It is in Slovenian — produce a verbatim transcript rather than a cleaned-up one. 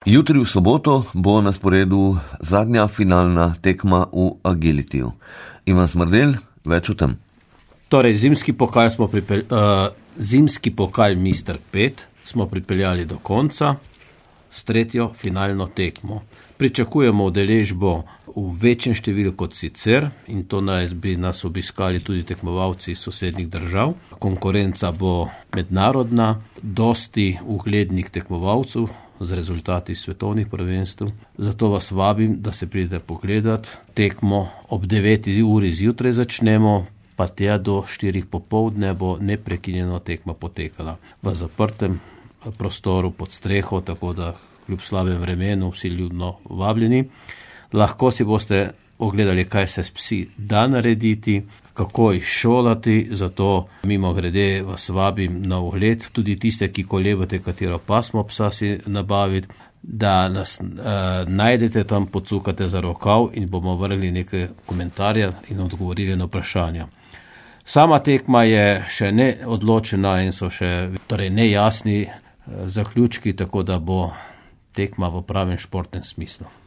Jutri v soboto bo na sporedu zadnja finalna tekma v agilitiju. Ivan Smrdelj, več o tem. Torej, zimski pokal smo pripel, uh, zimski pokal mister pet smo pripeljali do konca s tretjo finalno tekmo. Pričakujemo udeležbo v večjem številu kot sicer in to naj bi nas obiskali tudi tekmovalci iz sosednjih držav. Konkurenca bo mednarodna, dosti uglednih tekmovalcev z rezultati svetovnih prvenstev. Zato vas vabim, da se pridete pogledat. Tekmo ob deveti uri zjutraj začnemo, pa tja do štirih popoldne bo neprekinjeno tekma potekala v zaprtem prostoru pod streho, tako da kljub slabem vremenu vsi ljudno vabljeni. Lahko si boste ogledali, kaj se s psi da narediti, kako jih šolati, zato mimo grede vas vabim na ogled, tudi tiste, ki kolebate, katero pasmo psa si nabaviti, da nas e, najdete tam, pocukate za rokav in bomo vrli nekaj komentarja in odgovorili na vprašanja. Sama tekma je še ne odločena in so še torej nejasni e, zaključki, tako da bo tekma v pravem športnem smislu.